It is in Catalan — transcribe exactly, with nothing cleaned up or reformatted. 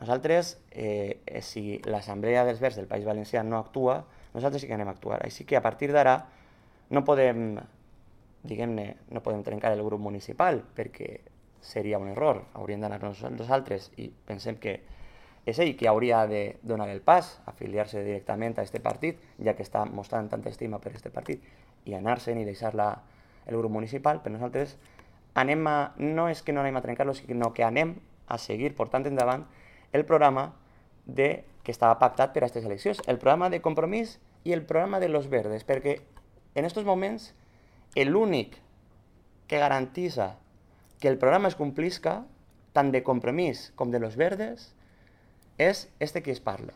nosaltres, eh, si l'Assemblea dels Verds del País Valencià no actua, nosaltres sí que anem a actuar. Així que a partir d'ara no podem, diguem-ne, no podem trencar el grup municipal perquè seria un error. Hauríem d'anar-nos nosaltres i pensem que és ell qui hauria de donar el pas, afiliar-se directament a aquest partit, ja que està mostrant tanta estima per aquest partit, i anar-se'n i deixar la, el grup municipal. Però nosaltres anem a, no és que no anem a trencar-lo, sinó que anem a seguir portant endavant el programa de, que estava pactat per a aquestes eleccions, el programa de Compromís i el programa de los Verdes, perquè en aquests moments l'únic que garantitza que el programa es complisca, tant de Compromís com de los Verdes, és este que es parla.